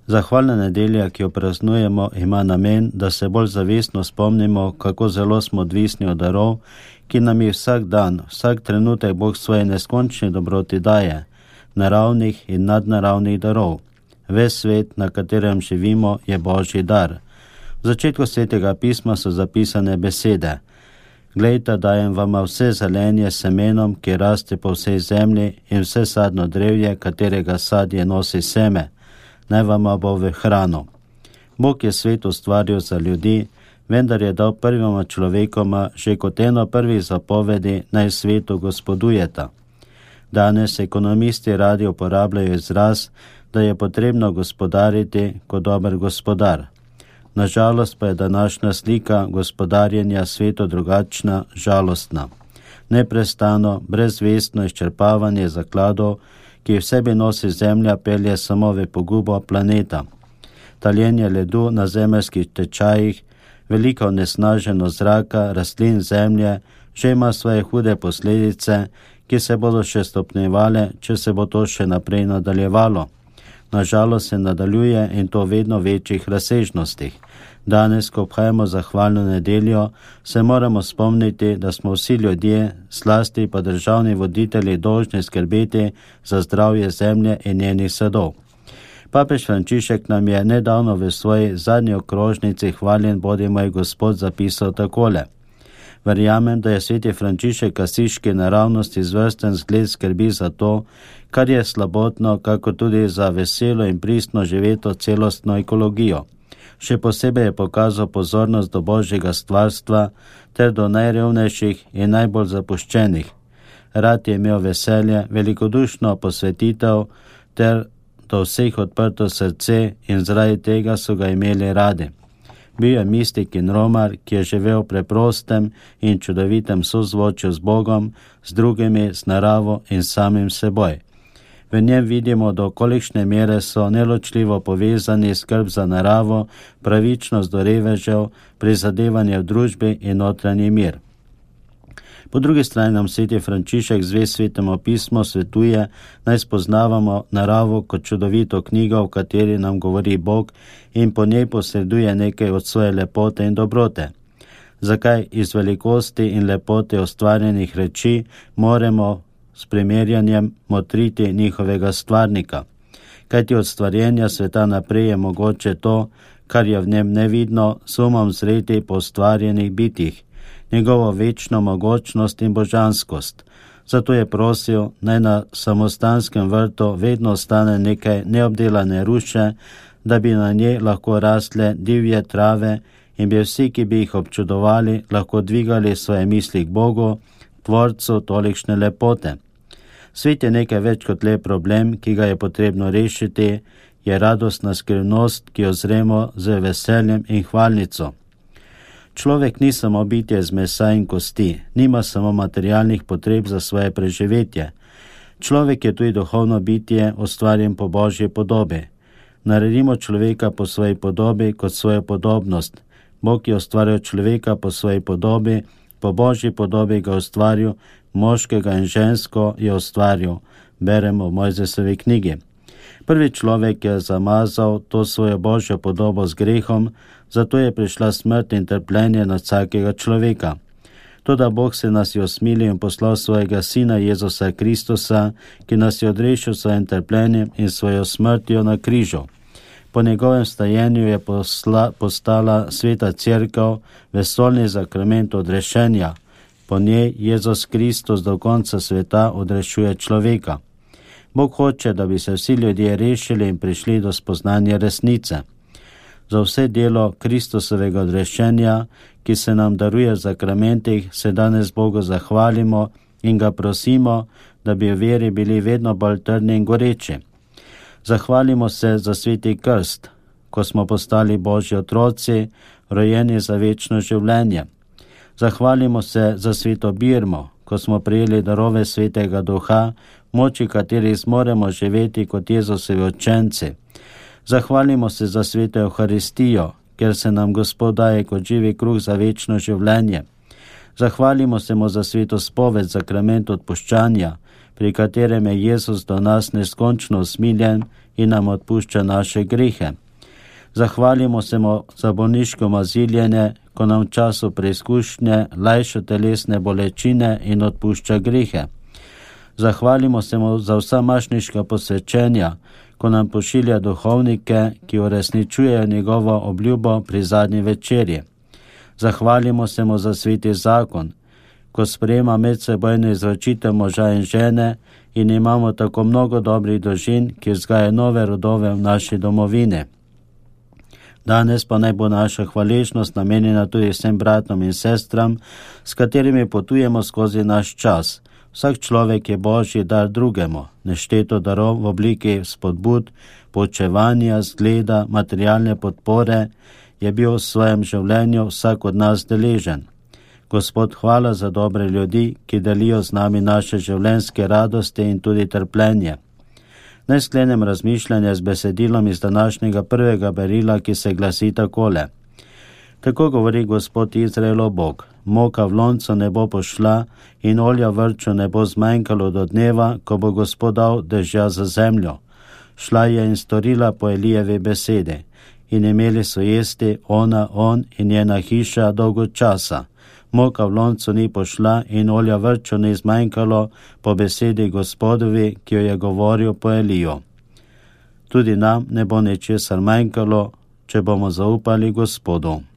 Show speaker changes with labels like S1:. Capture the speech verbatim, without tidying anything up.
S1: Zahvalna nedelja, ki jo praznujemo, ima namen, da se bolj zavestno spomnimo, kako zelo smo odvisni od darov, ki nam jih vsak dan, vsak trenutek Bog svoje neskončne dobroti daje, naravnih in nadnaravnih darov. Ves svet, na katerem živimo, je Božji dar. V začetku Svetega pisma so zapisane besede: Glejte, dajem vama vse zelenje s semenom, ki raste po vsej zemlji, in vse sadno drevje, katerega sadje nosi seme, naj vama bo v hrano. Bog je svet ustvaril za ljudi, vendar je dal prvima človekoma že kot eno prvih zapovedi, naj svetu gospodujeta. Danes ekonomisti radi uporabljajo izraz, da je potrebno gospodariti kot dober gospodar. Nažalost pa je današnja slika gospodarjenja svetu drugačna, žalostna. Neprestano, brezvestno izčrpavanje zakladov, ki v sebi nosi zemlja, pelje samo v pogubo planeta. Taljenje ledu na zemeljskih tečajih, velika onesnaženost zraka, rastlin, zemlje, že ima svoje hude posledice, ki se bodo še stopnjevale, če se bo to še naprej nadaljevalo. Nažalost se nadaljuje in to vedno večjih razsežnostih. Danes, ko obhajamo zahvalno nedeljo, se moramo spomniti, da smo vsi ljudje, zlasti pa državni voditelji, dolžni skrbeti za zdravje zemlje in njenih sadov. Papež Frančišek nam je nedavno v svoji zadnji okrožnici Hvaljen bodi moj Gospod zapisal takole: Verjamem, da je sveti Frančišek Asiški naravnosti izvrsten zgled skrbi za to, kar je slabotno, kako tudi za veselo in pristno živeto celostno ekologijo. Še posebej je pokazal pozornost do Božjega stvarstva ter do najrevnejših in najbolj zapuščenih. Rad je imel veselje, velikodušno posvetitev ter do vseh odprto srce in zaradi tega so ga imeli radi. Bil je mistik in romar, ki je živel v preprostem in čudovitem sozvočju z Bogom, z drugimi, z naravo in samim seboj. V njem vidimo, do kolikšne mere so neločljivo povezani skrb za naravo, pravičnost do revežev, prizadevanje v družbi in notranji mir. Po drugi strani nam sveti Frančišek zve Svetemu pismu svetuje, naj spoznavamo naravo kot čudovito knjigo, v kateri nam govori Bog in po njej posreduje nekaj od svoje lepote in dobrote. Zakaj iz velikosti in lepote ustvarjenih reči moramo s primerjanjem motriti njihovega stvarnika? Kajti od stvarjenja sveta naprej je mogoče to, kar je v njem nevidno, s umom zreti po ustvarjenih bitjih, njegovo večno mogočnost in božanskost. Zato je prosil, naj na samostanskem vrtu vedno ostane nekaj neobdelane ruše, da bi na njej lahko rastle divje trave in bi vsi, ki bi jih občudovali, lahko dvigali svoje misli k Bogu, tvorcu tolikšne lepote. Svet je nekaj več kot le problem, ki ga je potrebno rešiti, je radostna skrivnost, ki jo zremo z veseljem in hvalnico. Človek ni samo bitje iz mesa in kosti, nima samo materialnih potreb za svoje preživetje. Človek je tudi duhovno bitje, ustvarjen po Božji podobi. Naredimo človeka po svoji podobi kot svojo podobnost. Bog je ustvaril človeka po svoji podobi, po Božji podobi ga ustvaril, moškega in žensko je ustvaril, beremo v Mojzesovi knjigi. Prvi človek je zamazal to svojo Božjo podobo z grehom, zato je prišla smrt in trpljenje na vsakega človeka. Toda Bog se nas je osmilil in poslal svojega Sina Jezusa Kristusa, ki nas je odrešil svojim trpljenjem in svojo smrtjo na križu. Po njegovem stajenju je posla, postala sveta cerkev, vesoljni zakrament odrešenja. Po njej Jezus Kristus do konca sveta odrešuje človeka. Bog hoče, da bi se vsi ljudje rešili in prišli do spoznanja resnice. Za vse delo Kristusovega odrešenja, ki se nam daruje v zakramentih, se danes Bogu zahvalimo in ga prosimo, da bi v veri bili vedno bolj trdni in goreči. Zahvalimo se za sveti krst, ko smo postali Božji otroci, rojeni za večno življenje. Zahvalimo se za sveto birmo, ko smo prijeli darove svetega duha, moči katerih zmoremo živeti kot Jezusovi učenci. Zahvalimo se za sveto Evharistijo, ker se nam Gospod daje kot živi kruh za večno življenje. Zahvalimo se mu za sveto spoved, zakrament odpuščanja, pri katerem je Jezus do nas neskončno usmiljen in nam odpušča naše grihe. Zahvalimo se mu za bolniško maziljenje, ko nam v času preizkušnje lajša telesne bolečine in odpušča grihe. Zahvalimo se mu za vsa mašniška posvečenja, ko nam pošilja duhovnike, ki uresničujejo njegovo obljubo pri zadnji večerji. Zahvalimo se mu za sveti zakon, ko sprejema medsebojno izročitev moža in žene in imamo tako mnogo dobrih družin, ki vzgajajo nove rodove v naši domovini. Danes pa naj bo naša hvaležnost namenjena tudi vsem bratom in sestram, s katerimi potujemo skozi naš čas. Vsak človek je Božji dar drugemu, nešteto darov v obliki spodbud, poučevanja, zgleda, materialne podpore je bil v svojem življenju vsak od nas deležen. Gospod, hvala za dobre ljudi, ki delijo z nami naše življenjske radosti in tudi trpljenje. Naj sklenem razmišljanje z besedilom iz današnjega prvega berila, ki se glasi takole. Tako govori Gospod Izraelov Bog, moka v loncu ne bo pošla in olja v vrču ne bo zmanjkalo do dneva, ko bo Gospod dal dežja za zemljo. Šla je in storila po Elijevi besedi in imeli so jesti ona, on in njena hiša dolgo časa. Moka v loncu ni pošla in olja v vrču ni zmanjkalo po besedi Gospodovi, ki jo je govoril po Eliju. Tudi nam ne bo ničesar manjkalo, če bomo zaupali Gospodu.